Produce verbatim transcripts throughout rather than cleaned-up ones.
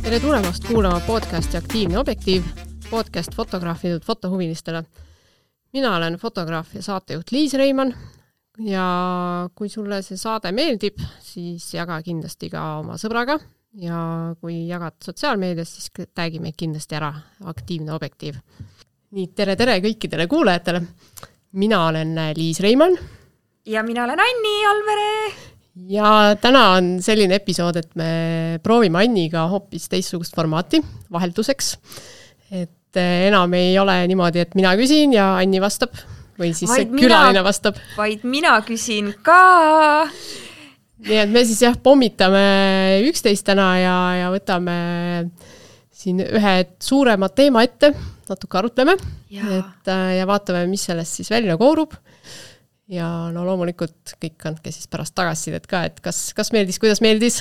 Tere tulemast kuulama podcasti Aktiivne objektiiv, podcast fotograafidelt fotohuvilistele. Mina olen fotograaf ja saatejuht Liis Reimann ja kui sulle see saade meeldib, siis jaga kindlasti ka oma sõbraga ja kui jagad sotsiaalmeedias, siis tagi meid kindlasti ära Aktiivne objektiiv. Nii, tere tere kõikidele kuulajatele. Mina olen Liis Reimann. Ja mina olen Anni Alvere. Ja täna on selline episood, et me proovime Anniga hoopis teistsugust formaati vahelduseks. Et enam ei ole niimoodi, et mina küsin ja Anni vastab või siis vaid see külaline mina, vastab. Vaid mina küsin ka. Nii et me siis jah pommitame üksteist täna ja, ja võtame siin ühe suurema teema ette, natuke arutleme ja. Et, ja vaatame, mis sellest siis välja koorub. Ja no loomulikult kõik andke siis pärast tagasisidet ka, et kas, kas meeldis, kuidas meeldis.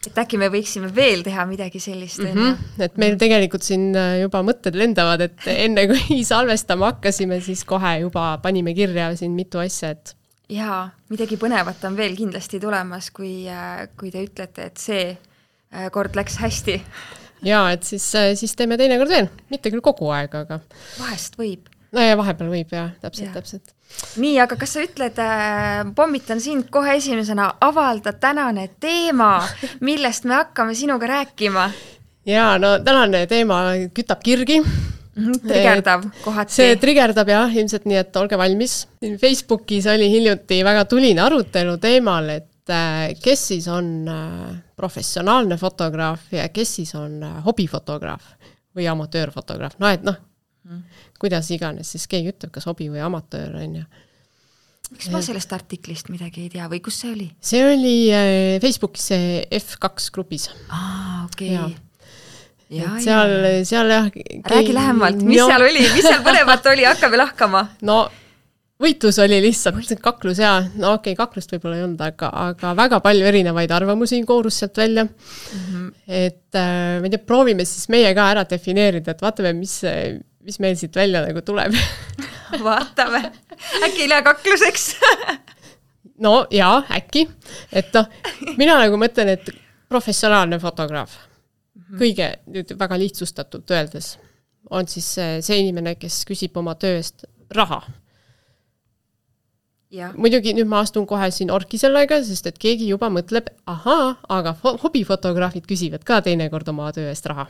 Et äkki me võiksime veel teha midagi sellist. Mm-hmm. Et meil tegelikult siin juba mõtted lendavad, et enne kui salvestama hakkasime, siis kohe juba panime kirja siin mitu asja. Et... Jaa, midagi põnevat on veel kindlasti tulemas, kui, kui te ütlete, et see kord läks hästi. Jaa, et siis, siis teeme teine kord veel. Mitte küll kogu aeg, aga... Vahest võib. No ja vahepeal võib, jah, täpselt, ja. täpselt. Nii, aga kas sa ütled, äh, pommitan sind kohe esimesena avalda tänane teema, millest me hakkame sinuga rääkima? Jaa, no tänane teema kütab kirgi. Mm-hmm, triggerdav kohati. See trigerdab jah, ilmselt nii, et olge valmis. Facebookis oli hiljuti väga tuline arutelu teemal, et äh, kes siis on äh, professionaalne fotograaf ja kes siis on äh, hobifotograaf või amatöörfotograaf. No et noh, kuidas iganes, siis keegi ütleb, kas hobi või amatöör on ja. Miks ma sellest artiklist midagi ei tea või kus see oli? See oli Facebookis F kaks grupis. Aa, okei. Okay. Ja, seal, ja. seal jah... Räägi lähemalt, mis no. seal oli, mis seal põnevat oli, hakkame lahkama. No võitlus oli lihtsalt kaklus ja, no okei, okay, kaklust võib-olla ei olnud, aga, aga väga palju erinevaid arvamusi koorus sealt välja. Mm-hmm. Et äh, me tea, proovime siis meie ka ära defineerida, et vaatame, mis, mis meil siit välja nagu tuleb. Vaatame. Äkki ei lähe kakluseks? No jaa, äkki. Et no, mina nagu mõtlen, et professionaalne fotograaf, mm-hmm. kõige nüüd väga lihtsustatult öeldes, on siis see inimene, kes küsib oma tööst raha. Ja. Muidugi nüüd ma astun kohe siin orki sellega, sest et keegi juba mõtleb, ahaa, aga hobifotograafid küsivad ka teinekord oma töö eest raha.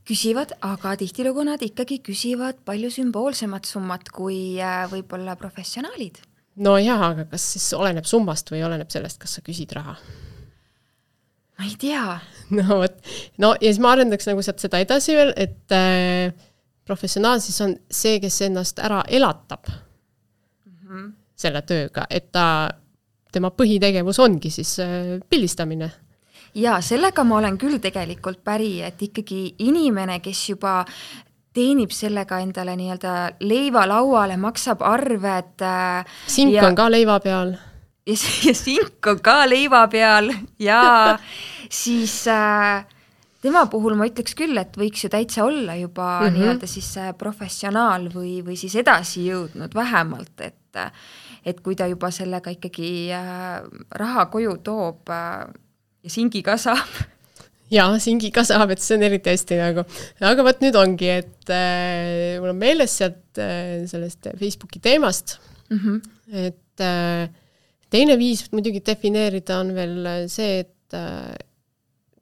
Küsivad, aga tihtilugu nad ikkagi küsivad palju sümboolsemat summat kui võib-olla professionaalid. No jah, aga kas siis oleneb summast või oleneb sellest, kas sa küsid raha? Ma ei tea. No, võt. no ja siis ma arendaks nagu sealt seda edasi veel, et äh, professionaal siis on see, kes ennast ära elatab. Mhm. selle tööga, et ta, tema põhitegevus ongi siis pildistamine. Ja sellega ma olen küll tegelikult päri, et ikkagi inimene, kes juba teenib sellega endale nii-öelda leiva lauale, maksab arved. Sink ja, on ka leiva peal. Ja, ja sink on ka leiva peal ja siis äh, tema puhul ma ütleks küll, et võiks ju täitsa olla juba mm-hmm. nii-öelda siis professionaal või, või siis edasi jõudnud vähemalt, et et kui ta juba sellega ikkagi äh, raha koju toob äh, ja singi ka saab. Ja, singi ka saab, et see on eriti hästi nagu. Aga võt nüüd ongi, et äh, mul on meeles sealt äh, sellest Facebooki teemast, mm-hmm. et äh, teine viis muidugi defineerida on veel see, et äh,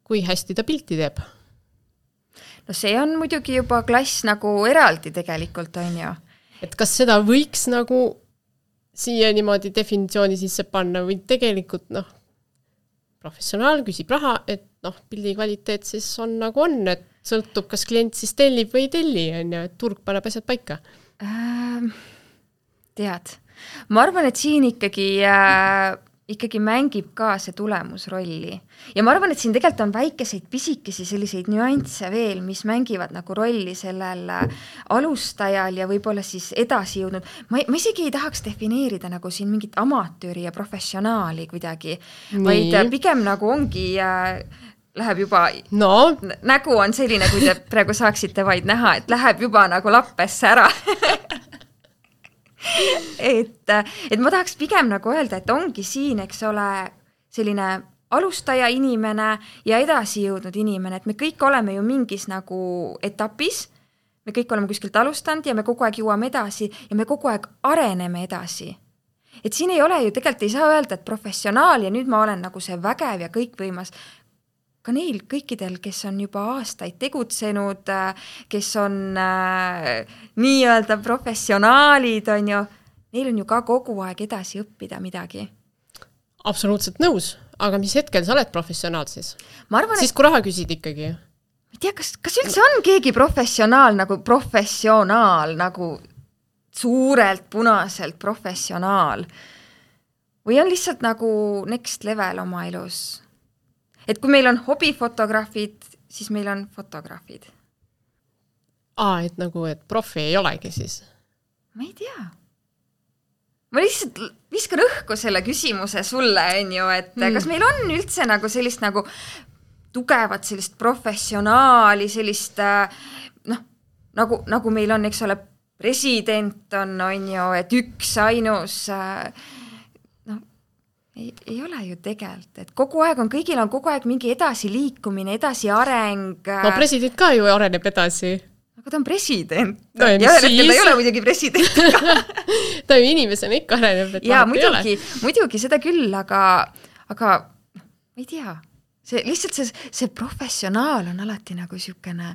kui hästi ta pilti teeb. No see on muidugi juba klass nagu eraldi tegelikult, on ju. Et kas seda võiks nagu siia niimoodi definitsiooni sisse panna või tegelikult noh, professionaal küsib raha, et noh, pildi kvaliteet siis on nagu on, et sõltub, kas klient siis tellib või ei telli, on ju, et turg paneb asjad paika. Ähm, tead, ma arvan, et siin ikkagi, äh, ikkagi mängib ka see tulemusrolli. Ja ma arvan, et siin tegelikult on väikeseid pisikesi selliseid nüansse veel, mis mängivad nagu rolli sellel alustajal ja võib-olla siis edasi jõudnud. Ma, ma isegi ei tahaks defineerida nagu siin mingit amatööri ja professionaali kuidagi, Nii. vaid pigem nagu ongi äh, läheb juba, no. nägu on selline, kui te praegu saaksite vaid näha, et läheb juba nagu lappesse ära. et, et ma tahaks pigem nagu öelda, et ongi siin, eks ole, selline alustaja inimene ja edasi jõudnud inimene, et me kõik oleme ju mingis nagu etapis, me kõik oleme kuskilt alustanud ja me kogu aeg jõuame edasi ja me kogu aeg areneme edasi. Et siin ei ole ju, tegelikult ei saa öelda, et professionaal ja nüüd ma olen nagu see vägev ja kõikvõimas. Ka neil kõikidel, kes on juba aastaid tegutsenud, kes on äh, nii-öelda professionaalid, on ju, neil on ju ka kogu aeg edasi õppida midagi. Absoluutselt nõus, aga mis hetkel sa oled professionaal siis? Ma arvan, siis kui raha küsid ikkagi? Ma ei tea, kas, kas üldse on keegi professionaal nagu professionaal, nagu suurelt punaselt professionaal? Või on lihtsalt nagu next level oma elus? Et kui meil on hobifotograafid, siis meil on fotograafid. Aa, et nagu, et profi ei olegi siis? Ma ei tea. Ma lihtsalt viskan õhku selle küsimuse sulle, on ju, et mm. kas meil on üldse nagu sellist nagu tugevat sellist professionaali, sellist noh, nagu, nagu meil on, eks ole, president on, on ju, et üks ainus noh, ei, ei ole ju tegelikult, et kogu aeg on, kõigil on kogu aeg mingi edasi liikumine, edasi areng. No president ka ju areneb edasi. Aga ta on president. No, ja ühel hetkel ta ei ole muidugi president. ta ju inimesena ikka areneb. Ja muidugi, muidugi seda küll, aga, aga ma ei tea. See, lihtsalt see, see professionaal on alati nagu siukene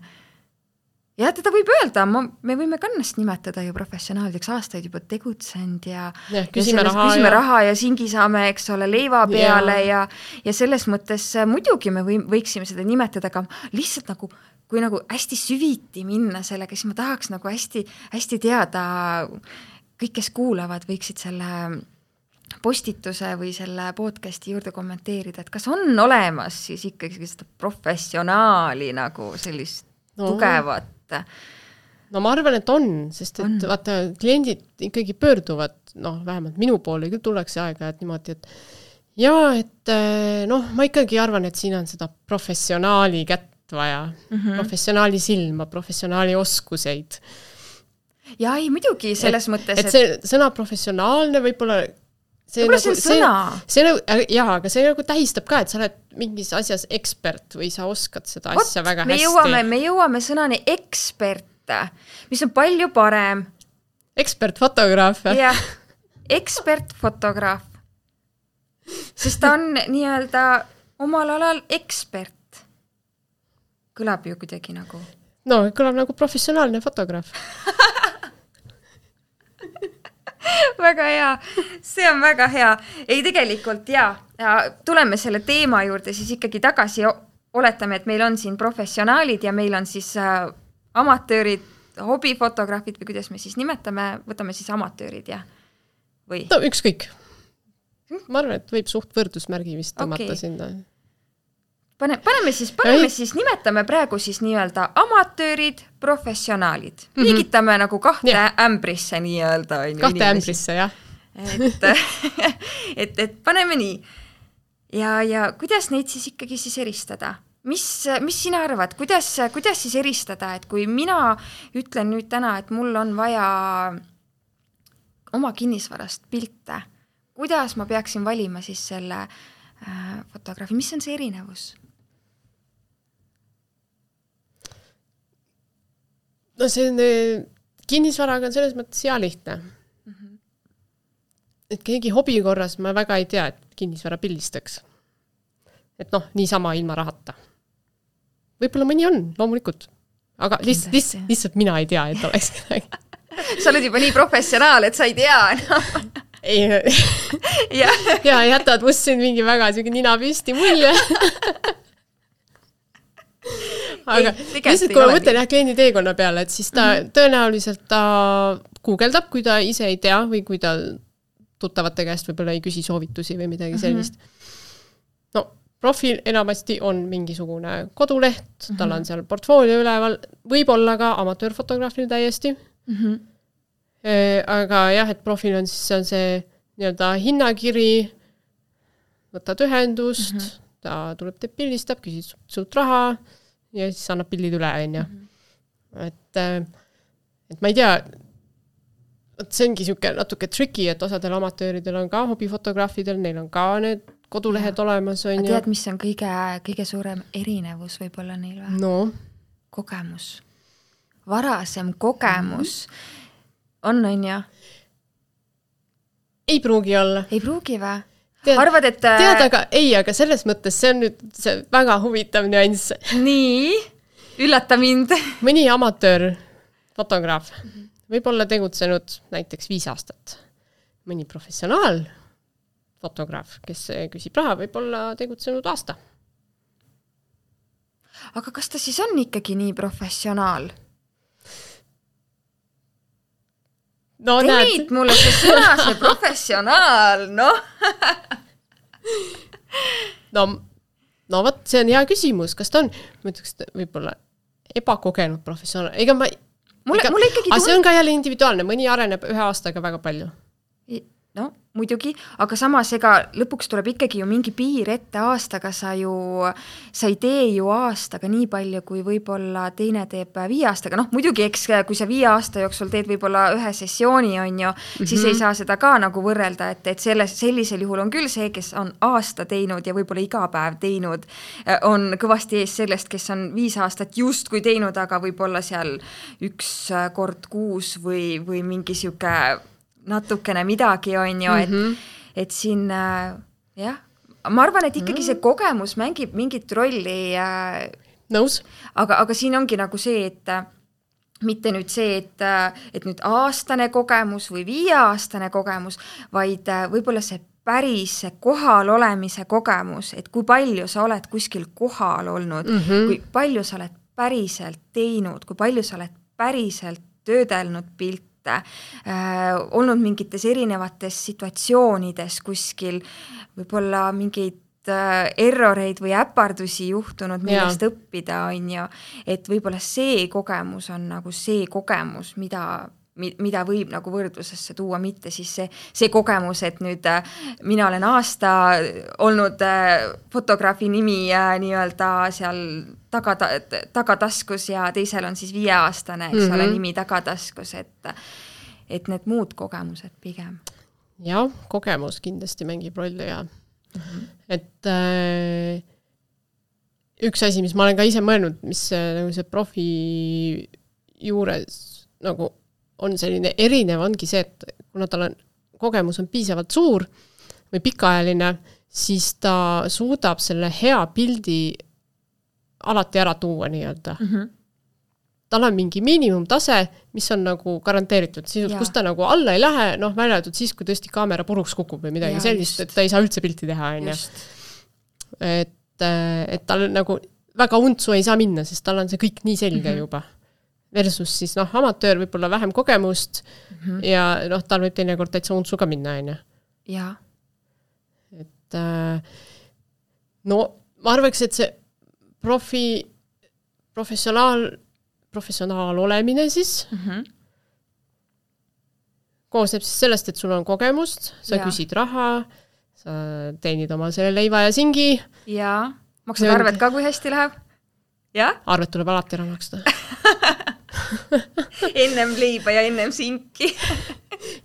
ja teda võib öelda, ma, me võime kannast nimetada ju professionaalideks aastaid juba tegutsenud ja, ja küsime, ja raha, küsime ja... raha ja singi saame, eks ole, leiva peale ja, ja, ja selles mõttes muidugi me või, võiksime seda nimetada, aga lihtsalt nagu kui nagu hästi süviti minna sellega, siis ma tahaks nagu hästi, hästi teada, kõik, kes kuulavad, võiksid selle postituse või selle podcasti juurde kommenteerida, et kas on olemas siis ikkagi seda professionaali nagu sellist no. tugevat? No ma arvan, et on, sest et on. Vaata, kliendid ikkagi pöörduvad, noh, vähemalt minu poole küll tullakse aega, et niimoodi, et ja, et noh, ma ikkagi arvan, et siin on seda professionaali kätt vaja, mm-hmm. professionaali silma, professionaali oskuseid. Ja ei, muidugi selles et, mõttes, et see sõna professionaalne võib-olla see nagu, see, sõna. See, see, jaa, aga see nagu tähistab ka, et sa oled mingis asjas ekspert või sa oskad seda Ot, asja väga me hästi. Jõuame, me jõuame sõnani ekspert, mis on palju parem. Ekspertfotograaf. Jah, ekspertfotograaf. Sest ta on nii-öelda omal alal ekspert. Kõlab ju kuidagi nagu. No, kõlab nagu professionaalne fotograaf. Väga hea, see on väga hea. Ei tegelikult, jaa, ja tuleme selle teema juurde siis ikkagi tagasi, oletame, et meil on siin professionaalid ja meil on siis äh, amatöörid, hobifotograafid või kuidas me siis nimetame, võtame siis amatöörid, jah? Või? No, ükskõik. Ma arvan, et võib suht võrdusmärgi vist tõmmata okay. sinna. Pane, paneme siis, paneme siis, nimetame praegu siis nii-öelda amatöörid, professionaalid. Mm -hmm. Liigitame nagu kahte yeah. ämbrisse nii-öelda. Kahte inimesi. Ämbrisse, jah. Et, et, et paneme nii. Ja, ja kuidas neid siis ikkagi siis eristada? Mis, mis sina arvad? Kuidas, kuidas siis eristada? Et kui mina ütlen nüüd täna, et mul on vaja oma kinnisvarast pilte, kuidas ma peaksin valima siis selle äh, fotograafi? Mis on see erinevus? No see on, kinnisvaraga on selles mõttes hea lihtne. Mm-hmm. Et keegi hobi korras ma väga ei tea, et kinnisvara pildistaks. Et noh, niisama ilma rahata. Võib-olla mõni on, loomulikult. Aga lihtsalt, lihtsalt, lihtsalt mina ei tea, et oleks kedagi. Sa oled juba nii professionaal, et sa ei tea. No. Ei, ja. ja jätad must siin mingi väga sügi nina püsti mulje. Aga ei, lihtsalt, kui ma mõtlen jah kliendi teekonna peale, et siis ta mm-hmm. tõenäoliselt ta guugeldab, kui ta ise ei tea või kui ta tuttavate käest võib-olla ei küsi soovitusi või midagi sellist. Mm-hmm. No, profil enamasti on mingisugune koduleht, mm-hmm. tal on seal portfoolio üleval, võib-olla ka amatöörfotograafil täiesti. Mm-hmm. E, aga jah, et profil on siis on see nii-öelda hinnakiri, võtad ühendust, mm-hmm. ta tuleb teeb pildistab, küsid sult raha ja siis annab pildid üle, on ju. Mm-hmm. Et, et ma ei tea, et see ongi siuke natuke tricky, et osadel amatööridel on ka hobifotograafidel, neil on ka need kodulehed ja. olemas on. Tead, mis on kõige, kõige suurem erinevus võib-olla neil või? No. Kogemus. Varasem kogemus mm-hmm. on, on ja? Ei pruugi olla. Ei pruugi või? Tead, Arvad, et... Tead, aga ei, aga selles mõttes see on nüüd see väga huvitav nüanss. Nii, üllata mind. Mõni amatöör fotograaf võib olla tegutsenud näiteks viis aastat. Mõni professionaal fotograaf, kes küsib raha, võib olla tegutsenud aasta. Aga kas ta siis on ikkagi nii professionaal? No, Teid mulle see sõna, see professionaal, noh. no, no võt, see on hea küsimus. Kas ta on, ma ütleks, võib-olla ebakogenud professionaal? Ega ma... Mulle, ega, mulle ikkagi aga see on ka jälle individuaalne. Mõni areneb ühe aastaga väga palju. No, muidugi, aga samas ega lõpuks tuleb ikkagi ju mingi piir ette aastaga, sa ju, sa ei tee ju aastaga nii palju, kui võib-olla teine teeb viie aastaga. Noh, muidugi, eks kui sa viie aasta jooksul teed võib-olla ühe sessiooni, on ju, mm-hmm. siis ei saa seda ka nagu võrrelda, et, et selles, sellisel juhul on küll see, kes on aasta teinud ja võib-olla iga päev teinud, on kõvasti ees sellest, kes on viis aastat just kui teinud, aga võib-olla seal üks kord kuus või, või mingi siuke natukene midagi on ju, et, mm-hmm. et siin äh, jah, ma arvan, et ikkagi see kogemus mängib mingit rolli äh, nõus. Aga, aga siin ongi nagu see, et äh, mitte nüüd see, et, äh, et nüüd aastane kogemus või viieaastane kogemus, vaid äh, võib-olla see päris kohal olemise kogemus, et kui palju sa oled kuskil kohal olnud, mm-hmm. kui palju sa oled päriselt teinud, kui palju sa oled päriselt töödelnud pilt, Äh, olnud mingites erinevates situatsioonides kuskil, võib-olla mingeid äh, erroreid või äpardusi juhtunud, millest ja. õppida on ju, et võib-olla see kogemus on nagu see kogemus, mida, mida võib nagu võrdlusesse tuua, mitte siis see, see kogemus, et nüüd äh, mina olen aasta olnud äh, fotograafi nimi äh, nii-öelda seal taga, tagataskus ja teisel on siis viieaastane, eks mm-hmm. ole, nimi tagataskus, et, et need muud kogemused pigem. Jah, kogemus kindlasti mängib rolli ja mm-hmm. et äh, üks asi, mis ma olen ka ise mõelnud, mis nagu see profi juures nagu on selline erinev, ongi see, et kuna tal on, kogemus on piisavalt suur või pikaajaline, siis ta suudab selle hea pildi alati ära tuua nii-öelda. Mm-hmm. Tal on mingi miinimumtase, mis on nagu garanteeritud, siis kus ta nagu alla ei lähe, noh, väljatud siis, kui tõesti kaamera puruks kukub või midagi ja, sellist, just. Et ta ei saa üldse pilti teha. Et, et tal nagu väga untsu ei saa minna, sest tal on see kõik nii selge mm-hmm. juba. Versus siis noh, amatöör võib olla vähem kogemust mm-hmm. ja noh, tal võib teinekord täitsa untsu ka minna, on ju. Ja. Et no ma arvaks, et see profi, professionaal, professionaal olemine siis mm-hmm. koosneb siis sellest, et sul on kogemust, sa ja. Küsid raha, sa teenid oma selle leiva ja singi. Ja, maksad arved ka, kui hästi läheb? Ja? Arved tuleb alati ära maksta. ennem leiba ja ennem sinki.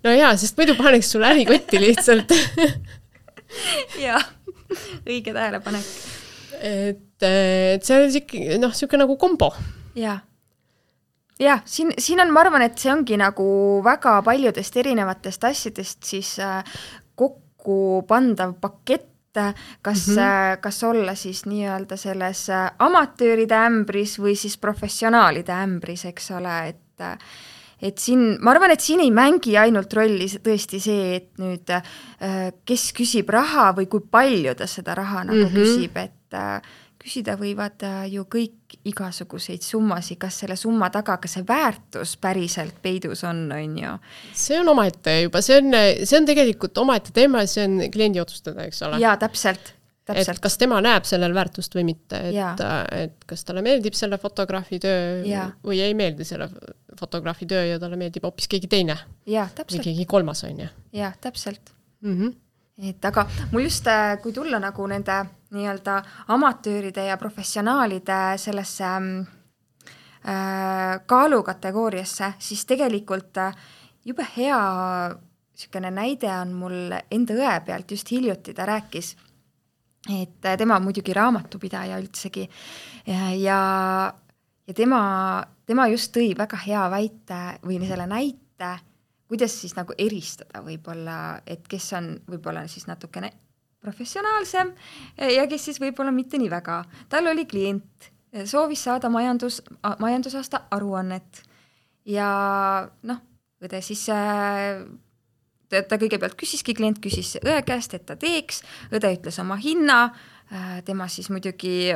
no jaa, sest muidu paneks sul ärikotti lihtsalt. jaa, õige tähelepanek. Et, et see on ikkagi, noh, siuke nagu kombo. Jaa. Jah, siin, siin on, ma arvan, et see ongi nagu väga paljudest erinevatest asjadest siis kokku pandav pakett, kas, mm-hmm. kas olla siis nii-öelda selles amatööride ämbris või siis professionaalide ämbris, eks ole, et, et siin, ma arvan, et siin ei mängi ainult rolli tõesti see, et nüüd kes küsib raha või kui palju ta seda raha nagu mm-hmm. küsib, et küsida võivad ju kõik igasuguseid summasid, kas selle summa taga, kas see väärtus päriselt peidus on, on ju? See on omaette juba, see on, see on tegelikult omaette teema, see on kliendi otsustada, eks ole? Jaa, täpselt, täpselt. Et kas tema näeb sellel väärtust või mitte, et, et kas talle meeldib selle fotograafi töö ja. Või ei meeldi selle fotograafi töö ja talle meeldib hoopis keegi teine. Jaa, täpselt. Või keegi kolmas on ju. Jaa, täpselt. Mhm. Et aga mul just, kui tulla nagu nende nii-öelda amatööride ja professionaalide sellesse äh, kaalukategooriasse, siis tegelikult jube hea sükene näide on mul enda õe pealt just hiljuti, ta rääkis, et tema muidugi raamatupidaja üldsegi ja, ja, ja tema, tema just tõi väga hea väite või selle näite, kuidas siis nagu eristada võib-olla, et kes on võib-olla siis natukene professionaalsem ja kes siis võib-olla mitte nii väga. Tal oli klient, soovis saada majandus, majandusaasta aruannet ja noh, õde siis ta, ta kõigepealt küsiski, klient küsis õe käest, et ta teeks, õde ütles oma hinna, tema siis muidugi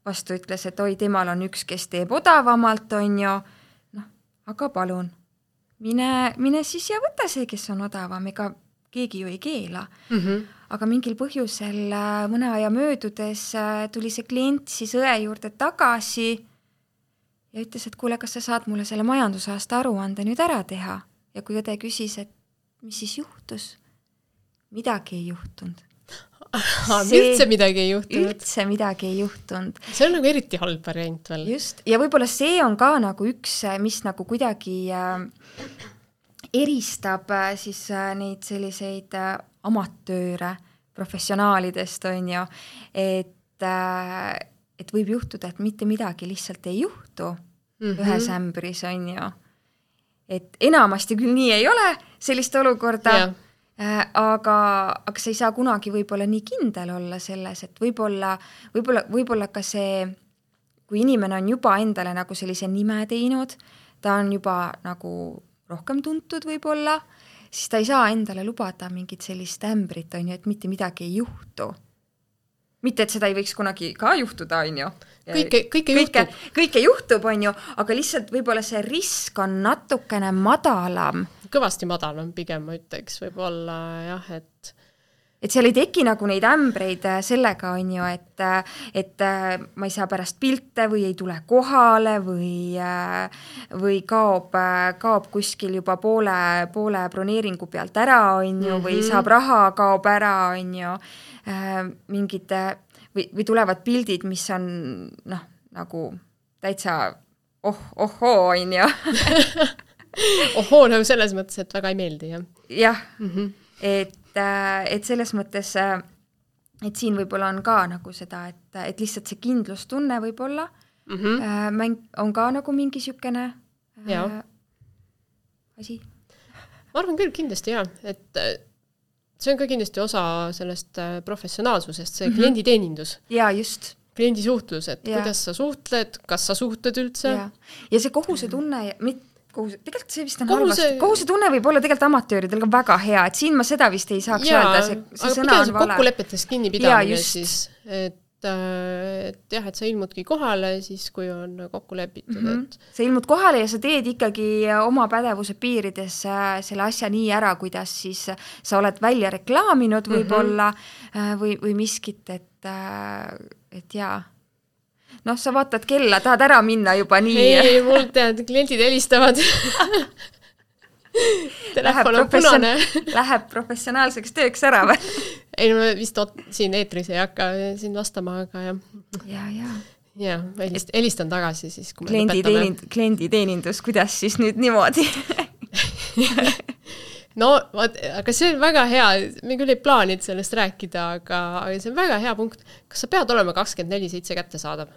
vastu ütles, et oi, temal on üks, kes teeb odavamalt, on ju, noh, aga palun, mine, mine siis ja võta see, kes on odavam, ega keegi ju ei keela. Mm -hmm. Aga mingil põhjusel mõne aja möödudes tuli see klient siis õe juurde tagasi ja ütles, et kuule, kas sa saad mulle selle majandusaasta aruande nüüd ära teha? Ja kui õde küsis, et mis siis juhtus? Midagi ei juhtunud. See, üldse midagi ei juhtunud? Üldse midagi ei juhtunud. See on nagu eriti halb variant veel. Just, ja võib-olla see on ka nagu üks, mis nagu kuidagi äh, eristab äh, siis äh, neid selliseid äh, amatööre professionaalidest, on ju, et, äh, et võib juhtuda, et mitte midagi lihtsalt ei juhtu mm-hmm. ühes ämbris, on ju. Et enamasti küll nii ei ole sellist olukorda, yeah. äh, aga, aga sa ei saa kunagi võib-olla nii kindel olla selles, et võib-olla, võib-olla, võib-olla ka see, kui inimene on juba endale nagu sellise nime teinud, ta on juba nagu rohkem tuntud võib-olla, siis ta ei saa endale lubada mingit sellist ämbrit, on ju, et mitte midagi ei juhtu. Mitte, et seda ei võiks kunagi ka juhtuda, on ju. Kõike, kõike juhtub. Kõike juhtub, on ju, aga lihtsalt võib-olla see risk on natukene madalam. Kõvasti madalam pigem, ma ütleks, võib-olla jah, et et seal ei teki nagu neid ämbreid sellega, on ju, et, et ma ei saa pärast pilte või ei tule kohale või, või kaob, kaob kuskil juba poole, poole broneeringu pealt ära, on ju, või saab raha, kaob ära, on ju, mingid või, või tulevad pildid, mis on noh, nagu täitsa oh, ohoo, on ju. ohoo, nagu selles mõttes, et väga ei meeldi, jah? Jah, mm-hmm. et et selles mõttes, et siin võib-olla on ka nagu seda, et, et lihtsalt see kindlustunne võib-olla mm-hmm. mäng, on ka nagu mingi sükene äh, asi. Ma arvan küll kindlasti jah, et see on ka kindlasti osa sellest professionaalsusest, see mm-hmm. klienditeenindus. Ja just. Kliendisuhtlus, et ja. Kuidas sa suhtled, kas sa suhtled üldse. Ja, ja see kohuse tunne, mitte Kohuse, tegelikult see vist on kohuse... halvasti. Kohuse tunne võib olla tegelikult amatööridel ka väga hea, et siin ma seda vist ei saaks ja, öelda, see, see aga sõna on see vale. Kokkulepetest kinni pidamine siis, et, et jah, et sa ilmudki kohale siis, kui on kokku lepitud. Mm-hmm. Et... sa ilmud kohale ja sa teed ikkagi oma pädevuse piirides selle asja nii ära, kuidas siis sa oled välja reklaaminud võib-olla mm-hmm. või, või miskit, et, et jaa. Noh, sa vaatad kella, tahad ära minna juba nii. Ei, mul tead, kliendid helistavad. Telefon on punane. Läheb professionaalseks tööks ära või? Ei, no vist siin eetris ei hakka siin vastama, aga jah. Ja, ja. Ja, helist, helistan tagasi siis, kui me kliendi lõpetame. Teenind, kliendi teenindus, kuidas siis nüüd niimoodi? No, aga see on väga hea, me küll ei plaanid sellest rääkida, aga, aga see on väga hea punkt. Kas sa pead olema kakskümmend neli seitse kätte saadav?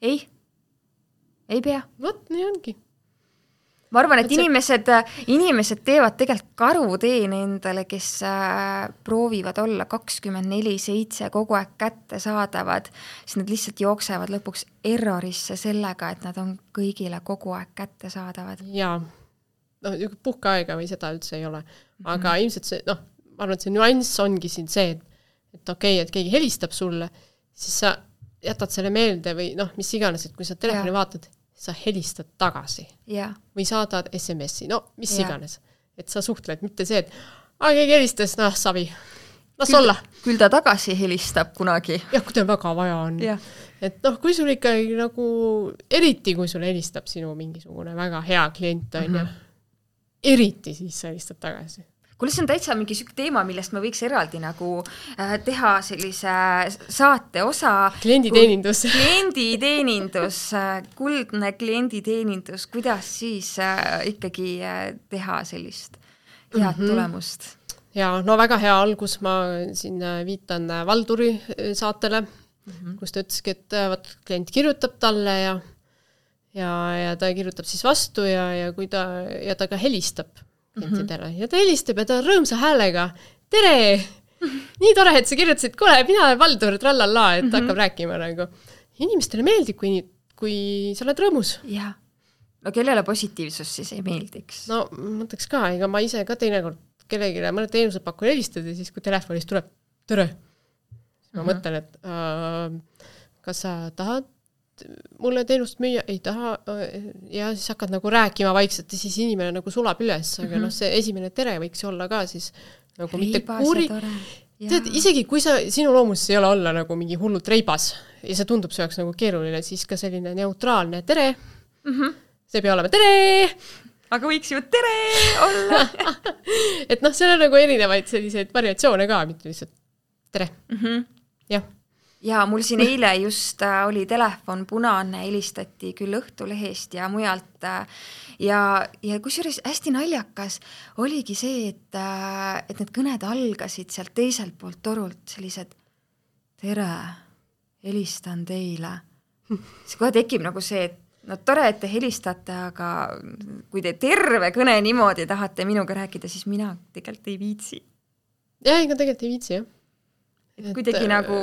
Ei, ei pea. Vot, nii ongi. Ma arvan, et inimesed, inimesed teevad tegelikult karuteen endale, kes äh, proovivad olla kakskümmend neli seitse kogu aeg kätte saadavad, siis nad lihtsalt jooksevad lõpuks errorisse sellega, et nad on kõigile kogu aeg kätte saadavad. Jaa, no, puhkeaega või seda üldse ei ole. Aga mm-hmm. ilmselt see, noh, ma arvan, et see nüanss ongi siin see, et, et okei, okay, et keegi helistab sulle, siis sa jätad selle meelde või noh, mis iganes, et kui sa telefoni ja. Vaatad, sa helistad tagasi. Ja. Või saadad es em essi, no mis ja. Iganes. Et sa suhtled, mitte see, et aa, keegi helistas, noh, savi. Las küll, olla. Küll ta tagasi helistab kunagi. Jah, kui ta väga vaja on. Ja. Et noh, kui sul ikkagi nagu, eriti kui sul helistab sinu mingisugune väga hea klient on mm-hmm. ja eriti siis sa helistad tagasi. Kuule, see on täitsa mingi süük teema, millest me võiks eraldi nagu äh, teha sellise saate osa. Klienditeenindus. Klienditeenindus, kuldne klienditeenindus, kuidas siis äh, ikkagi äh, teha sellist head mm-hmm. tulemust. ja no väga hea algus, ma siin viitan Valduri saatele, mm-hmm. kus ta ütleski, et võt, klient kirjutab talle ja, ja, ja ta kirjutab siis vastu ja, ja kui ta, ja ta ka helistab klientidele mm-hmm. ja ta helistab ja ta rõõmsa häälega, tere! Nii tore, et sa kirjutasid, kuule, mina olen Valdur, trallalla, et mm-hmm. hakkab rääkima nagu. Inimestele meeldib, kui, kui sa oled rõõmus. Jah. No kellele positiivsus siis ei meeldiks? No mõtleks ka, ega ma ise ka teinekord kellegile mõned teenused pakun helistada, siis kui telefonist tuleb tere, siis ma uh-huh. mõtlen, et äh, kas sa tahad mulle teenust müüa? Ei taha. Ja siis hakkad nagu rääkima vaikselt ja siis inimene nagu sulab üles, aga uh-huh. no see esimene tere võiks olla ka siis nagu mitte kuuri. Tead, isegi kui sa, sinu loomuses ei ole olla nagu mingi hullult reibas ja see tundub see oleks nagu keeruline, siis ka selline neutraalne tere. Mhm. See pea olema tere! Aga võiks ju tere olla. et noh, seal on nagu erinevaid selliseid variatsioone ka, mitte lihtsalt tere. Mm-hmm. Jah. Ja mul siin eile just äh, oli telefon punane, helistati küll Õhtulehest ja mujalt äh, ja, ja kusjuures hästi naljakas oligi see, et, äh, et need kõned algasid sealt teiselt poolt torult sellised tere, helistan teile. See kohe tekib nagu see, et no tore, et te helistate, aga kui te terve kõne niimoodi tahate minuga rääkida, siis mina tegelikult ei viitsi. Jah, ega tegelikult ei viitsi, jah. Et kuidagi et, nagu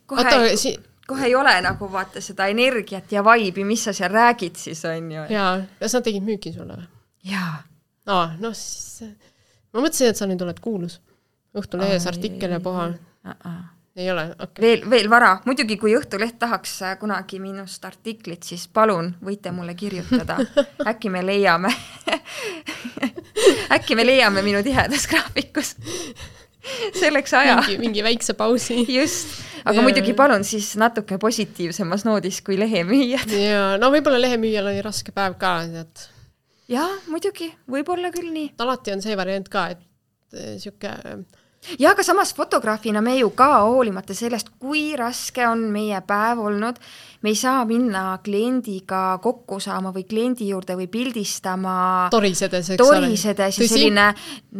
kohe, oota, si- kohe ei ole nagu vaata seda energiat ja vaibi, mis sa seal räägid siis on ju. Jaa, kas nad tegid müüki sulle või? Jaa. No, no siis, ma mõtlesin, et sa nüüd oled kuulus. Õhtulehes artikkel ja puha. Ei ole, okay. Veel, veel vara. Muidugi, kui Õhtuleht tahaks kunagi minust artiklit, siis palun, võite mulle kirjutada. Äkki me leiame äkki me leiame minu tihedas graafikus selleks aja. Mingi, mingi väikse pausi. Just, aga ja. Muidugi palun siis natuke positiivsemas noodis kui lehemüüjad. Ja, no võib-olla lehemüüjal oli raske päev ka. Et... Ja, muidugi, võib-olla küll nii. Alati on see variant ka, et siuke... Ja aga samas fotograafina me ju ka hoolimata sellest, kui raske on meie päev olnud, me ei saa minna kliendiga kokku saama või kliendi juurde või pildistama torisedes, eks torisedes ja selline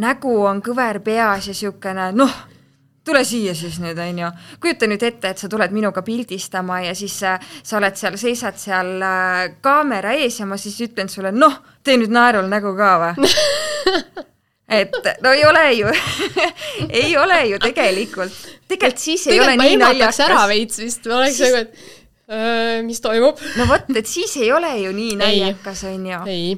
nägu on kõver peas ja siukene, noh, tule siia siis nüüd, on ju. Kujuta nüüd ette, et sa tuled minuga pildistama ja siis sa oled seal, seisad seal kaamera ees ja ma siis ütlen sulle, noh, tee nüüd naerul nägu ka või? Et no ei ole ju, ei ole ju tegelikult. Tegelikult siis ei tegelikult ole nii naljakas. Tegelikult ma emataks ära veits vist, ma oleks siis... nagu, et äh, mis toimub. No võt, et siis ei ole ju nii naljakas, on ju. Ei,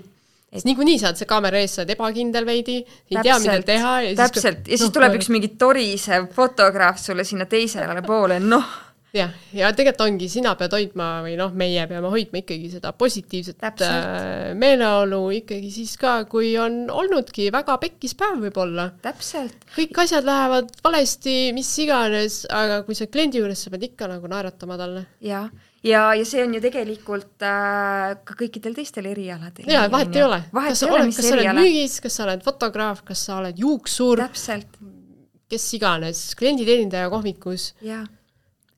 et... nii kui nii saad, see kaamera ees saad ebakindel veidi, ei täpselt, tea, mida teha. Ja täpselt, siis, ja siis no, tuleb üks mingi torisev fotograaf sulle sinna teisele poole, noh. Ja, ja tegelikult ongi, sina pead hoidma või noh, meie peame hoidma ikkagi seda positiivset täpselt. Meeleolu ikkagi siis ka, kui on olnudki väga pekkis päev võib-olla. Täpselt. Kõik asjad lähevad valesti, mis iganes, aga kui sa kliendi juures, sa pead ikka nagu naeratama talle. Ja, ja, ja see on ju tegelikult äh, ka kõikidel teistel erialadel. Ja, vahet ei ole. Vahet kas ei ole, oled, mis kas eriala. Sa oled müügis, kas sa oled fotograaf, kas sa oled juuksur. Täpselt. Kes iganes, klienditeenindaja kohvikus. Ja.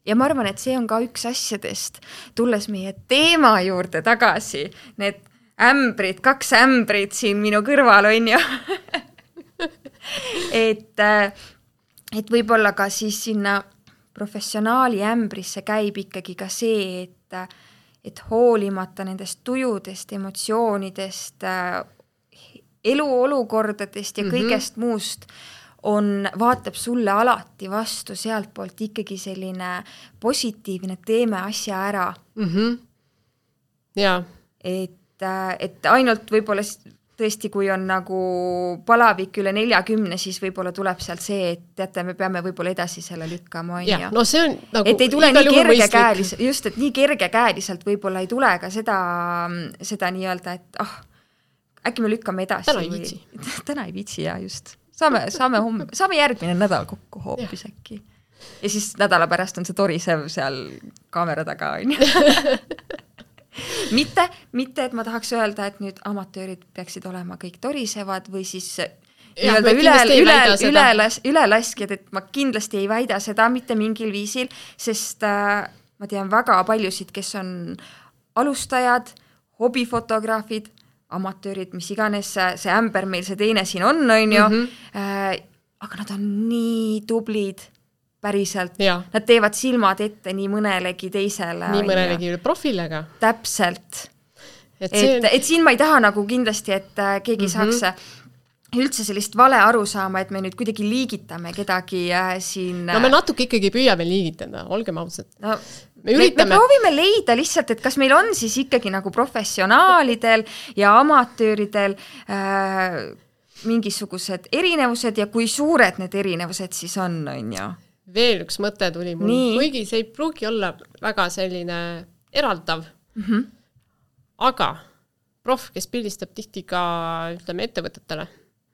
Ja ma arvan, et see on ka üks asjadest, tulles meie teema juurde tagasi, need ämbrid, kaks ämbrid siin minu kõrval on ju. et, et võib-olla ka siis sinna professionaali ämbrisse käib ikkagi ka see, et, et hoolimata nendest tujudest, emotsioonidest, eluolukordadest ja kõigest mm-hmm. muust, on, vaatab sulle alati vastu sealt poolt ikkagi selline positiivne, teeme asja ära. Mm-hmm. Ja. Et, et ainult võib-olla tõesti, kui on nagu palavik üle neljakümne, siis võib-olla tuleb sealt see, et teate, me peame võib-olla edasi selle lükkama. On ja, ja. No see on nagu et ei tule nii kergekäeliselt, just, et nii kergekäeliselt võib-olla ei tule ka seda, seda nii-öelda, et ah, äkki me lükkame edasi. Täna ei viitsi. Või... Täna ei viitsi, ja just. Saame, saame, homme, saame järgmine nädal kokku hoopis äkki. Ja siis nädala pärast on see torisev seal kaamera taga. mitte, mitte, et ma tahaks öelda, et nüüd amatöörid peaksid olema kõik torisevad või siis ja, üle, üle, üle, ülelaskjad, et ma kindlasti ei väida seda mitte mingil viisil, sest äh, ma tean väga paljusid, kes on alustajad, hobifotograafid, amatöörid, mis iganes see ämber meil see teine siin on, on ju, mm-hmm. äh, aga nad on nii tublid päriselt. Ja. Nad teevad silmad ette nii mõnelegi teisele. Nii mõnelegi profilega. Täpselt. Et, et, on... et siin ma ei taha nagu kindlasti, et keegi mm-hmm. saaks üldse sellist vale aru saama, et me nüüd kuidagi liigitame kedagi siin... No me natuke ikkagi püüame liigitada, olgem ausad. No, me, üritame... me proovime leida lihtsalt, et kas meil on siis ikkagi nagu professionaalidel ja amatööridel äh, mingisugused erinevused ja kui suured need erinevused siis on, on ju? Veel üks mõte tuli mul, kuigi see ei pruugi olla väga selline eraldav, mm-hmm. aga prof, kes pildistab tihti ka, ütleme, ettevõtetele,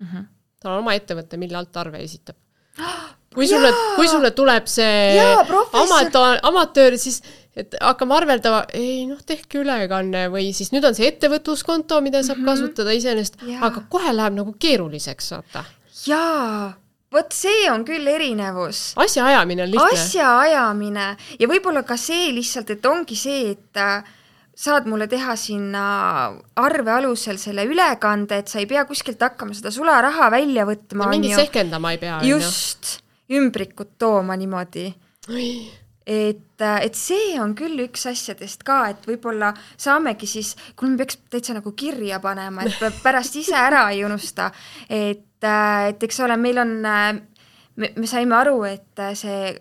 mm-hmm. tal on oma ettevõte, mille alt arve esitab. Kui sulle, kui sulle tuleb see Jaa, amatöör, amatöör, siis et hakkame arveldava, ei noh, tehke ülekanne või siis nüüd on see ettevõtluskonto, mida saab mm-hmm. kasutada iseenest, aga kohe läheb nagu keeruliseks, vaata. Jaa, võt see on küll erinevus. Asja ajamine on lihtne. Asja ajamine ja võib-olla ka see lihtsalt, et ongi see, et saad mulle teha sinna arve alusel selle ülekande, et sa ei pea kuskilt hakkama seda sularaha välja võtma. Ja mingi sehkendama ei pea. Just, ümbrikut tooma niimoodi. Et, et see on küll üks asjadest ka, et võib-olla saamegi siis, kui me peaks täitsa nagu kirja panema, et pärast ise ära ei unusta, et, et eks ole, meil on, me, me saime aru, et see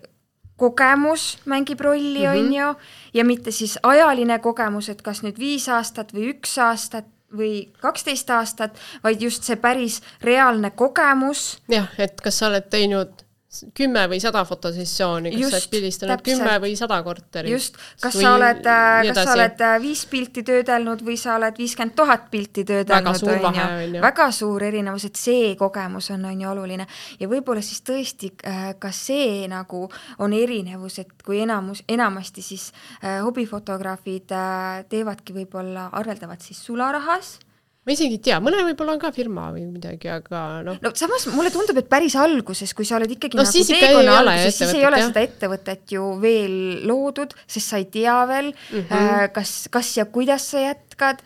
kogemus mängib rolli, mm-hmm. on ju, ja mitte siis ajaline kogemus, et kas nüüd viis aastat või üks aastat või kaksteist aastat, vaid just see päris reaalne kogemus. Jah, et kas sa oled teinud kümme või sada fotosessiooni, kas just, sa oled pildistanud kümme või sada korterit. Just, kas või sa oled, kas sa oled viis pilti töödelnud või sa oled viiskümmend tuhat pilti töödelnud. Väga suur vahe on ju. Väga suur erinevus, et see kogemus on, on ju oluline. Ja võib-olla siis tõesti ka see nagu on erinevus, et kui enamus, enamasti siis äh, hobifotograafid äh, teevadki võib-olla, arveldavad siis sularahas. Ma isegi ei tea, mõne võib-olla on ka firma või midagi, aga noh. No samas mulle tundub, et päris alguses, kui sa oled ikkagi no, nagu teekonna alguses, siis ei ole jah. Seda ettevõtet ju veel loodud, sest sa ei tea veel, mm-hmm. kas, kas ja kuidas sa jätkad.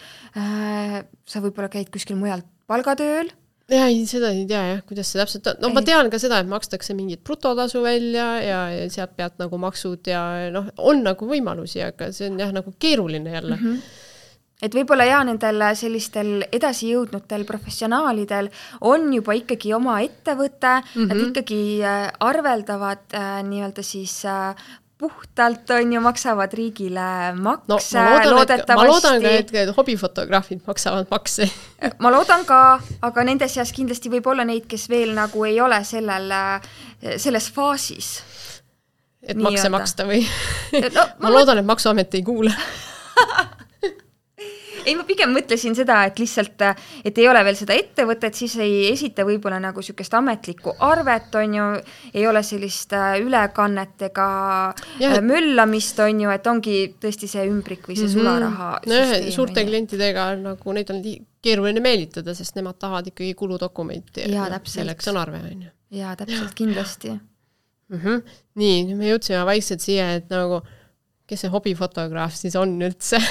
Sa võib-olla käid kuskil mujal palgatööl. Ja, seda ei tea jah, kuidas see täpselt on. No ei. Ma tean ka seda, et makstakse mingit brutotasu välja ja, ja sealt pealt nagu maksud ja noh, on nagu võimalusi, aga see on jah nagu keeruline jälle. Mm-hmm. Et võib-olla ja nendel sellistel edasi jõudnutel professionaalidel on juba ikkagi oma ettevõte, mm-hmm. nad ikkagi arveldavad äh, nii-öelda siis äh, puhtalt on ju, maksavad riigile makse. No, ma loodan, et, ma loodan ka, et, et hobifotograafid maksavad makse. Ma loodan ka, aga nende seas kindlasti võib olla neid, kes veel nagu ei ole sellel, selles faasis. Et nii makse öelda. Maksta või? No, ma, ma loodan, et maksuamet ei kuule. Ei, ma pigem mõtlesin seda, et lihtsalt, et ei ole veel seda ettevõtet, siis ei esita võib-olla nagu sükest ametlikku arvet, on ju, ei ole sellist ülekannet ega ja. Möllamist, on ju, et ongi tõesti see ümbrik või see mm-hmm. sularaha no, süsteem. Suurte klientidega nagu neid on keeruline meelitada, sest nemad tahavad ikkagi kuludokumenti. Ja, täpselt. Selleks on arve, on ju. Ja, täpselt, kindlasti. Mm-hmm. Nii, me jõudsime vaikselt siia, et nagu, kes see hobifotograaf siis on üldse?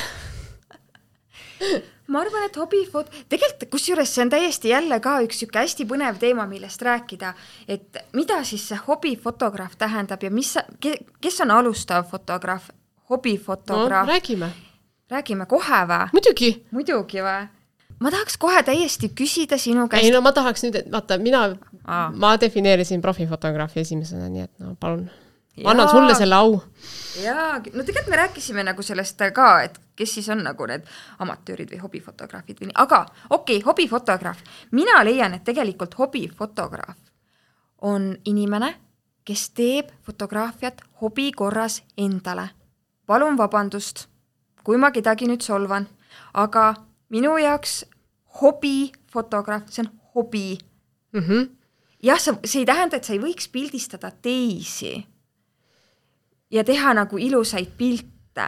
Ma arvan, et hobifot... Tegelikult, kusjuures see on täiesti jälle ka üks süke hästi põnev teema, millest rääkida, et mida siis see hobifotograaf tähendab ja mis, kes on alustav fotograaf, hobifotograaf? No, räägime. Räägime kohe või? Muidugi. Muidugi või? Ma tahaks kohe täiesti küsida sinu käest. Ei, no ma tahaks nüüd, et vaata, mina, Aa. ma defineerisin profifotograafi esimesena, nii et no palun. Ma annan sulle selle au. Jaa, no tegelikult me rääkisime nagu sellest ka, et kes siis on nagu need amatöörid või hobifotograafid või nii. Aga okei, okay, hobifotograaf. Mina leian, et tegelikult hobifotograaf on inimene, kes teeb fotograafiat hobi korras endale. Palun vabandust, kui ma kedagi nüüd solvan, aga minu jaoks hobifotograaf, see on hobi. Mm-hmm. Jah, see ei tähenda, et sa ei võiks pildistada teisi ja teha nagu ilusaid pilte,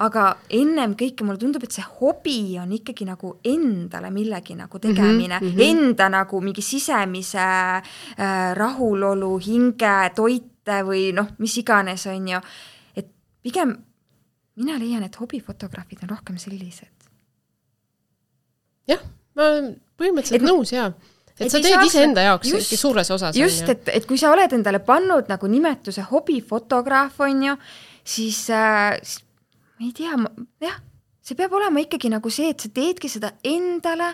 aga ennem kõike mulle tundub, et see hobi on ikkagi nagu endale millegi nagu tegemine, mm-hmm. enda nagu mingi sisemise äh, rahulolu, hinge, toite või noh, mis iganes on ju. Et pigem mina leian, et hobifotograafid on rohkem sellised. Jah, ma põhimõtteliselt et nõus, jah. et, et sa teed ise enda jaoks just, suures osas. Just, et, et kui sa oled endale pannud nagu nimetuse hobifotograaf, on ju, siis, äh, siis ma ei tea, jah, see peab olema ikkagi nagu see, et sa teedki seda endale,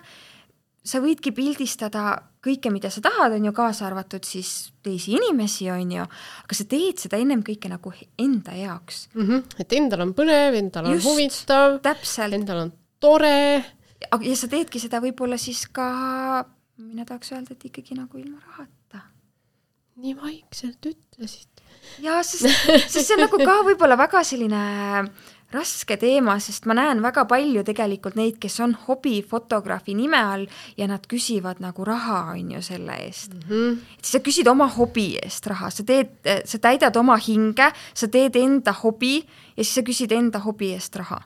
sa võidki pildistada kõike, mida sa tahad, on ju, kaasa arvatud siis teisi inimesi, on ju, aga sa teed seda ennem kõike nagu enda jaoks. Mm-hmm. Et endal on põnev, endal on just, huvitav, täpselt. Endal on tore. Ja sa teedki seda võib-olla siis ka, mina tahaks öelda, et ikkagi nagu ilma rahata. Nii vaikselt ütlesid. Ja, sest, sest see on nagu ka võib-olla väga selline raske teema, sest ma näen väga palju tegelikult neid, kes on hobifotograafi nime all ja nad küsivad nagu raha, on ju, selle eest. Mm-hmm. Et sa küsid oma hobi eest raha, sa teed, sa täidad oma hinge, sa teed enda hobi ja siis sa küsid enda hobi eest raha.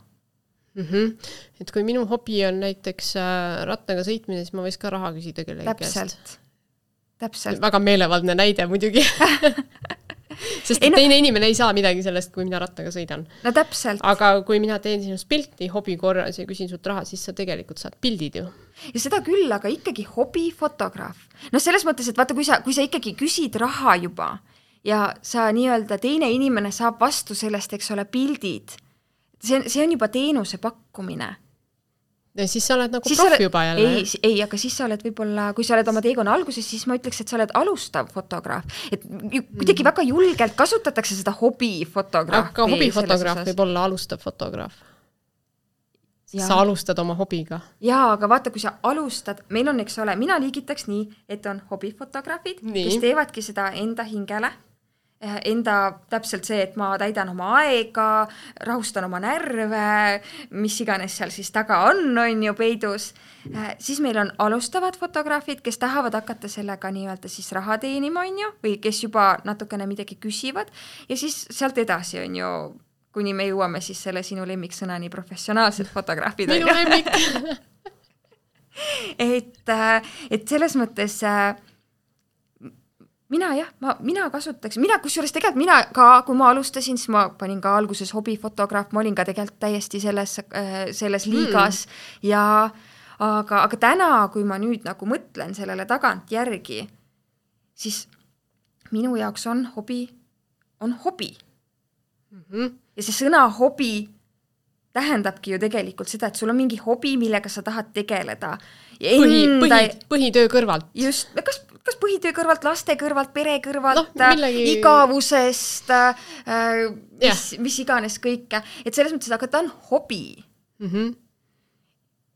Mm-hmm. Et kui minu hobi on näiteks rattaga sõitmine, siis ma võis ka raha küsida kellegi Täpselt. Käest. Täpselt. Väga meelevaldne näide muidugi. Sest ei, no, teine inimene ei saa midagi sellest, kui mina rattaga sõidan. No täpselt. Aga kui mina teen sinust pilti hobi korras ja küsin sult raha, siis sa tegelikult saad pildid ju. Ja seda küll, aga ikkagi hobifotograaf. No selles mõttes, et vaata, kui sa, kui sa ikkagi küsid raha juba ja sa nii-öelda teine inimene saab vastu sellest, eks ole, pildid, see, see on juba teenuse pakkumine. Ja siis sa oled nagu siis prof oled, juba jälle. Ei, ei, aga siis sa oled võib-olla, kui sa oled oma teekonna alguses, siis ma ütleks, et sa oled alustav fotograaf. Et kuidagi väga julgelt kasutatakse seda hobifotograafi. Aga hobifotograaf võib olla alustav fotograaf. Ja. Sa alustad oma hobiga. Jaa, aga vaata, kui sa alustad, meil on, eks ole, mina liigitaks nii, et on hobifotograafid, nii. Kes teevadki seda enda hingele. Enda täpselt see, et ma täidan oma aega, rahustan oma närve, mis iganes seal siis taga on, on ju peidus. Siis meil on alustavad fotograafid, kes tahavad hakata sellega nii-öelda siis raha teenima, on ju, või kes juba natukene midagi küsivad. Ja siis sealt edasi on ju, kuni me jõuame siis selle sinu lemmiksõnani professionaalsed fotograafid. Minu lemmik. et, et selles mõttes... Mina jah, ma, mina kasutaks, mina kusjuures tegelikult mina ka, kui ma alustasin, siis ma panin ka alguses hobifotograaf, ma olin ka tegelikult täiesti selles, selles liigas mm. ja aga, aga täna, kui ma nüüd nagu mõtlen sellele tagant järgi, siis minu jaoks on hobi, on hobi. Mm-hmm. Ja see sõna hobi tähendabki ju tegelikult seda, et sul on mingi hobi, millega sa tahad tegeleda. Ja põhi, enda... põhi, põhitöö kõrvalt. Just, kas kas põhitöö kõrvalt, laste kõrvalt, pere kõrvalt, no, millegi... igavusest, äh, mis, yeah. mis iganes kõike. Et selles mõttes, aga ta on hobi. Mm-hmm.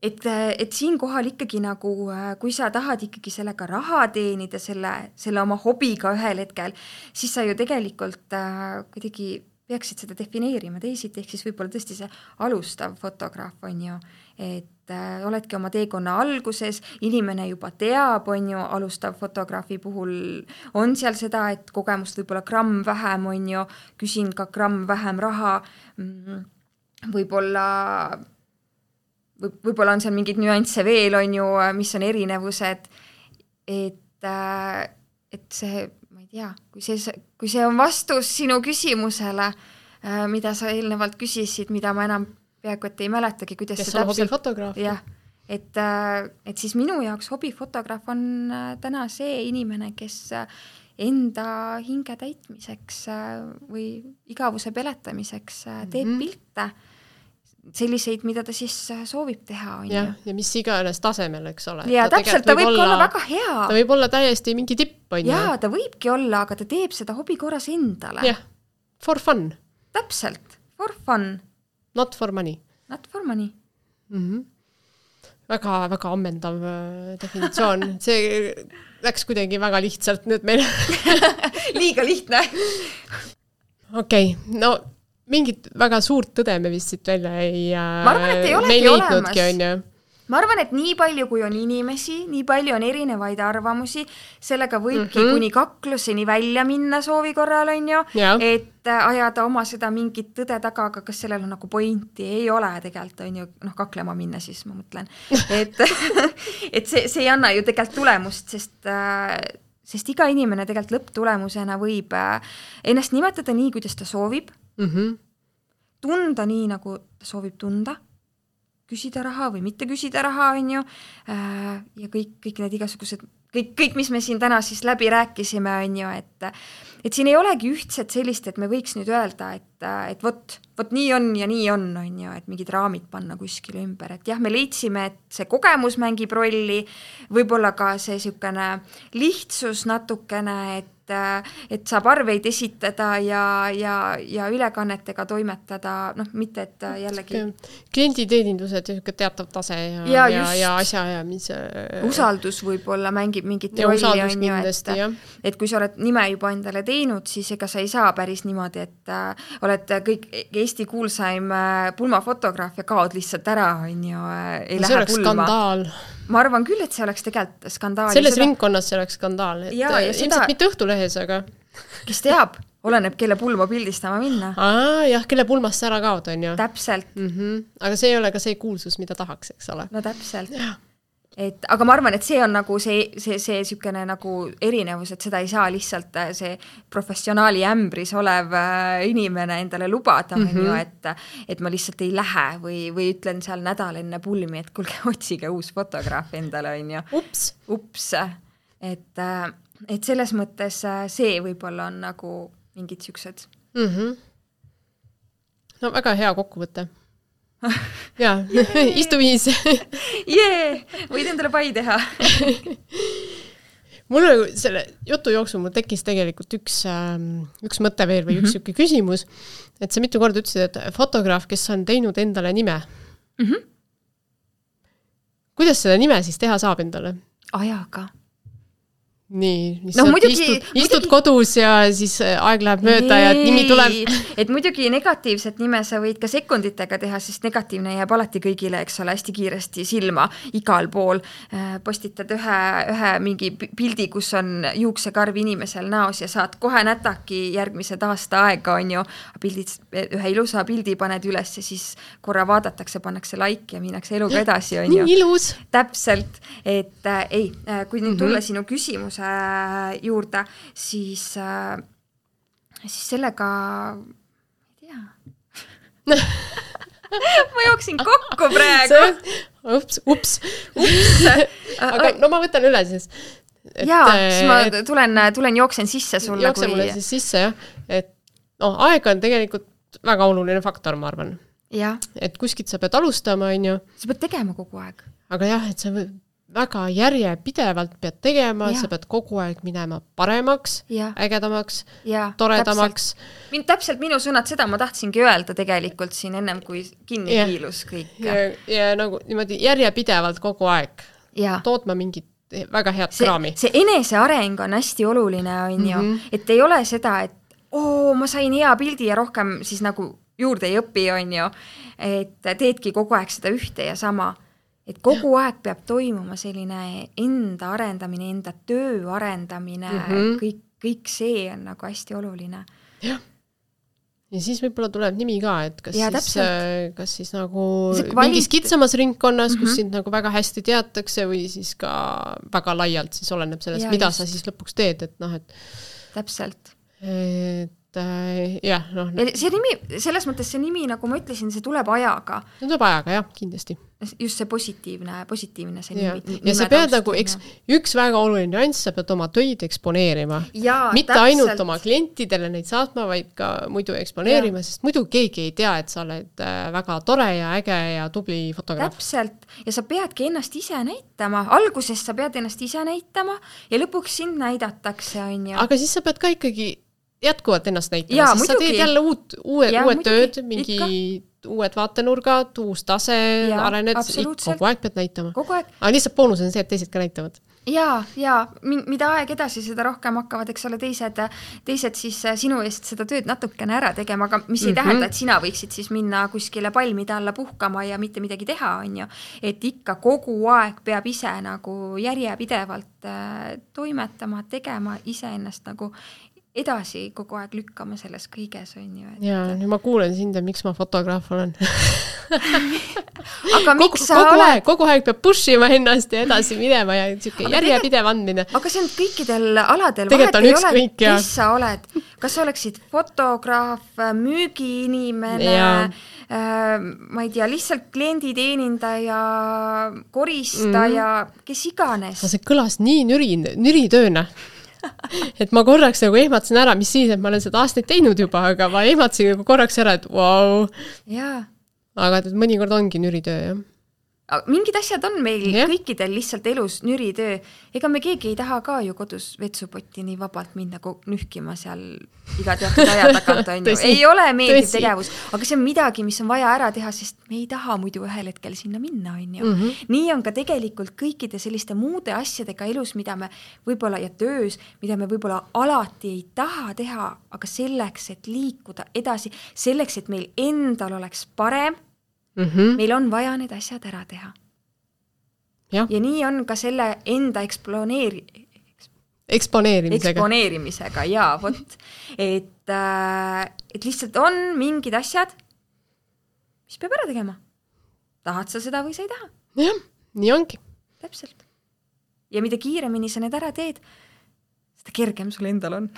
Et, et siin kohal ikkagi nagu, kui sa tahad ikkagi sellega raha teenida, selle, selle oma hobiga ühel hetkel, siis sa ju tegelikult äh, kuidagi peaksid seda defineerima teisiti, ehk siis võib-olla tõesti see alustav fotograaf on ju, et äh, oledki oma teekonna alguses, inimene juba teab, on ju, alustav fotograafi puhul on seal seda, et kogemust võib-olla gramm vähem, on ju, küsin ka gramm vähem raha, võib-olla, võib, võib-olla on seal mingid nüansse veel, on ju, mis on erinevused, et, äh, et see, ma ei tea, kui see, kui see on vastus sinu küsimusele, äh, mida sa eelnevalt küsisid, mida ma enam peaaegu, et ei mäletagi, kuidas kes see on hobifotograaf. Jah, et, et siis minu jaoks hobifotograaf on täna see inimene, kes enda hinge täitmiseks või igavuse peletamiseks teeb mm-hmm. pilte, selliseid, mida ta siis soovib teha. On ja, ja mis iganes tasemel, eks ole. Ja ta täpselt, ta võib olla, olla väga hea. Ta võib olla täiesti mingi tipp. On ja, ju? Ta võibki olla, aga ta teeb seda hobi korras endale. Jah, for fun. Täpselt, for fun. Not for money. Not for money. Mm-hmm. Väga, väga ammendav definitsioon. See läks kuidagi väga lihtsalt nüüd meil. Liiga lihtne. Okei, okay, no mingit väga suurt tõde me vist siit välja ei... Ma arvan, et ei olegi olemas. On, ju. Ma arvan, et nii palju, kui on inimesi, nii palju on erinevaid arvamusi, sellega võibki mm-hmm. kuni kakluseni välja minna soovi korral, on ju, ja. Et ajada oma seda mingit tõde taga, aga kas sellel on nagu pointi, ei ole tegelikult, on ju, noh, kaklema minna siis, ma mõtlen. Et, et see, see ei anna ju tegelikult tulemust, sest, sest iga inimene tegelikult lõpptulemusena võib ennast nimetada nii, kuidas ta soovib, mm-hmm. tunda nii, nagu ta soovib tunda, küsida raha või mitte küsida raha, on ju, ja kõik, kõik need igasugused, kõik, kõik, mis me siin täna siis läbi rääkisime, on ju, et, et siin ei olegi ühtset sellist, et me võiks nüüd öelda, et, et vot, vot nii on ja nii on, on ju, et mingid raamid panna kuskile ümber, et jah, me leidsime, et see kogemus mängib rolli, võib-olla ka see sükene lihtsus natukene, et et saab arveid esitada ja, ja, ja ülekannetega toimetada, noh, mitte, et jällegi klienditeenindused ja teatav tase ja, ja, ja, ja asjaajamise usaldus võib-olla mängib mingit ja rolli, on ju, et, et kui sa oled nime juba endale teinud, siis ega sa ei saa päris niimoodi, et äh, oled kõik Eesti kuulsaim äh, pulmafotograaf ja kaod lihtsalt ära, on ju, äh, ei no, lähe pulma. Skandaal. Ma arvan küll, et see oleks tegelikult skandaal. Selles seda... ringkonnas see oleks skandaal. Et ja, ja ilmselt seda... mitte Õhtulehes, aga... Kes teab, oleneb, kelle pulma pildistama minna. Aa, jah, kelle pulmast sa ära kaod, on ju. Täpselt. Mm-hmm. Aga see ei ole ka see kuulsus, mida tahaks, eks ole. No täpselt. Et, aga ma arvan, et see on nagu see, see, see sükene nagu erinevus, et seda ei saa lihtsalt see professionaali ämbris olev inimene endale lubada, mm-hmm. on ju, et, et ma lihtsalt ei lähe või, või ütlen seal nädal enne pulmi, et kuulge, otsige uus fotograaf endale, on ju. Ups. Ups. Et, et selles mõttes see võib-olla on nagu mingid süksed. Mm-hmm. No väga hea kokkuvõte. Jaa, istu viis. Jee, võid endale pai teha. Mul oli selle jutu jooksul mul tekkis tegelikult üks, üks mõte veel või üks mm-hmm. küsimus, et sa mitu korda ütlesid, et fotograaf, kes on teinud endale nime. Mm-hmm. Kuidas seda nime siis teha saab endale? Ajaga. Nii, no, muidugi, istud, istud muidugi... kodus ja siis aeg läheb mööda nee, ja nimi tuleb. Et muidugi negatiivset nime sa võid ka sekunditega teha, sest negatiivne jääb alati kõigile, eks ole, hästi kiiresti silma igal pool. Postitad ühe, ühe mingi pildi, kus on juuksekarv inimesel näos ja saad kohe nätaki järgmised aasta aega, on ju. Pildid, ühe ilusa pildi paned üles ja siis korra vaadatakse, pannakse like ja minnakse eluga edasi, on ju. Nii ilus. Täpselt, et äh, ei, kui nüüd tulla mm-hmm. sinu küsimus juurde, siis, äh, siis sellega ei tea. Ma jooksin kokku praegu. Ups, ups, ups. Aga no ma võtan üle siis. Et, jaa, siis ma tulen, tulen jooksen sisse sulle. Jookse mulle siis sisse, jah. Et no, aeg on tegelikult väga oluline faktor, ma arvan. Ja. Et kuskilt sa pead alustama, on ju. Sa pead tegema kogu aeg. Aga jah, et sa väga järjepidevalt pead tegema, ja. Sa pead kogu aeg minema paremaks, ja. Ägedamaks, ja, toredamaks. Täpselt. täpselt minu sõnad, seda ma tahtsingi öelda tegelikult siin ennem, kui kinni ja. Kiilus kõik. Ja, ja nagu niimoodi järjepidevalt kogu aeg ja. Tootma mingit väga head see, kraami. See eneseareng on hästi oluline, on ju, mm-hmm. et ei ole seda, et oo, ma sain hea pildi ja rohkem siis nagu juurde ei õpi, on ju, et teedki kogu aeg seda ühte ja sama. Et kogu ja. Aeg peab toimuma selline enda arendamine, enda töö arendamine, mm-hmm. kõik, kõik see on nagu hästi oluline. Jah. Ja siis võib-olla tuleb nimi ka, et kas, ja, siis, kas siis nagu kvalit... mingis kitsamas ringkonnas, kus mm-hmm. sind nagu väga hästi teatakse või siis ka väga laialt siis oleneb sellest, ja, mida just. Sa siis lõpuks teed, et noh, et täpselt. Et äh, jah, noh. See nimi, selles mõttes see nimi, nagu ma ütlesin, see tuleb ajaga. See tuleb ajaga, jah, kindlasti. Just see positiivne, positiivne see ja. nimi. Ja sa pead nagu, eks, üks väga oluline nüanss, sa pead oma töid eksponeerima. Ja, mitte täpselt. Ainult oma klientidele neid saatma, vaid ka muidu eksponeerima, ja. Sest muidu keegi ei tea, et sa oled väga tore ja äge ja tubli fotograaf. Täpselt. Ja sa peadki ennast ise näitama. Alguses sa pead ennast ise näitama ja lõpuks sind näidatakse, on ju. Aga siis sa pead ka ikkagi jätkuvalt ennast näitama, ja, siis muidugi. Sa teed jälle uut, uue, ja, uued muidugi. Tööd, mingi Ikka. Uued vaatenurgad, uus tase, ja, arened, kogu aeg pead näitama. Kogu aeg. Aga lihtsalt boonus on see, et teised ka näitavad. Ja, ja mida aeg edasi, seda rohkem hakkavad, eks ole, teised, teised siis sinu eest seda tööd natukene ära tegema, aga mis ei mm-hmm. tähenda, et sina võiksid siis minna kuskile palmide alla puhkama ja mitte midagi teha, on ju. Et ikka kogu aeg peab ise nagu järjepidevalt toimetama, tegema ise ennast nagu edasi kogu aeg lükkama selles kõiges, on ju. Et... ja, nüüd ma kuulen sind ja miks ma fotograaf olen. aga miks kogu, sa kogu oled? Aeg, kogu aeg peab push ima ennast ja edasi minema ja järjepidev andmine. Aga see on kõikidel aladel. Tegelikult on üks kõik, ja. Kes sa oled? Kas sa oleksid fotograaf, müügiinimene, äh, ma ei tea, lihtsalt klienditeenindaja, koristaja, mm. kes iganes? See kõlas nii nüri, nüritööna. Et ma korraks nagu ehmatsin ära, mis siis, et ma olen seda aastaid teinud juba, aga ma ehmatsin nagu korraks ära, et vau. Jaa. Aga mõnikord ongi nüritöö, jah. Mingid asjad on meil ja. Kõikidel lihtsalt elus nüritöö. Ega me keegi ei taha ka ju kodus vetsupotti nii vabalt minna nühkima seal iga teatud aja tagant, on ju. Ei ole meeldiv tegevus, aga see on midagi, mis on vaja ära teha, sest me ei taha muidu ühel hetkel sinna minna, on ju. Mm-hmm. Nii on ka tegelikult kõikide selliste muude asjadega elus, mida me võib-olla ja töös, mida me võib-olla alati ei taha teha, aga selleks, et liikuda edasi, selleks, et meil endal oleks parem, Mm-hmm. meil on vaja need asjad ära teha. Ja, ja nii on ka selle enda eksponeeri... eksponeerimisega. Eksponeerimisega, jaa, vot. Et, äh, et lihtsalt on mingid asjad, mis peab ära tegema. Tahad sa seda või sa ei taha? Jah, nii ongi. Täpselt. Ja mida kiiremini sa need ära teed, seda kergem sul endal on.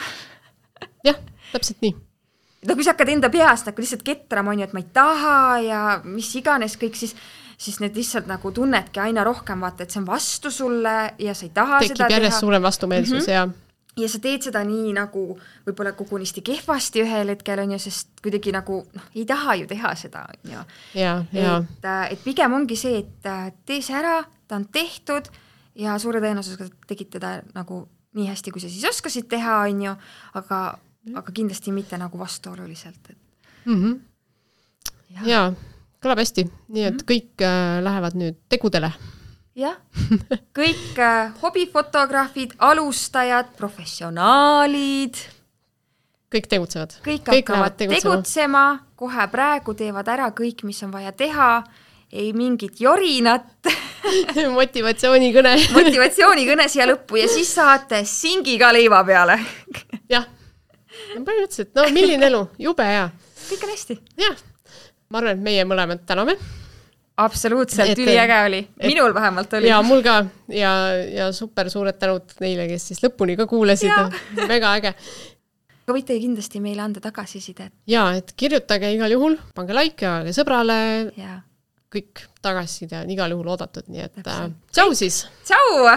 Jah, täpselt nii. No kui sa hakkad enda peast nagu lihtsalt ketrama, on ju, et ma ei taha ja mis iganes kõik, siis, siis need lihtsalt nagu tunnedki aina rohkem vaata, et see on vastu sulle ja sa ei taha Tekib seda teha. Tekib järjest suurem vastumeelsus mm-hmm. ja ja sa teed seda nii nagu võib-olla kogunisti kehvasti ühel hetkel, on ju, sest kuidagi nagu noh, ei taha ju teha seda, on ju. Ja, ja. Et, et pigem ongi see, et tee see ära, ta on tehtud ja suure tõenäosusega tegid teda nagu nii hästi, kui sa siis oskasid teha, on ju, aga aga kindlasti mitte nagu vastuoluliselt. Et... Mm-hmm. Ja, ja kõlab hästi. Nii, et mm-hmm. kõik äh, lähevad nüüd tegudele. Jah, kõik äh, hobifotograafid, alustajad, professionaalid. Kõik tegutsevad. Kõik, kõik hakkavad tegutsema, kohe praegu teevad ära kõik, mis on vaja teha. Ei mingit jorinat. Motivatsioonikõne. Motivatsioonikõne siia lõppu ja siis saate singiga leiva peale. Jah. Põhimõtteliselt, no milline elu, jube hea. Kõik on hästi. Jah, ma arvan, et meie mõlemad täname. Absoluutselt, et, üliäge oli. Minul et, vähemalt oli. Ja mul ka ja, ja super suured tänud neile, kes siis lõpuni ka kuulasid. Väga äge. Aga võite kindlasti meile anda tagasisidet. Ja, et kirjutage igal juhul, pange like ja sõbrale. Ja. Kõik tagasiside on igal juhul oodatud, nii et äh, tšau siis! Tšau!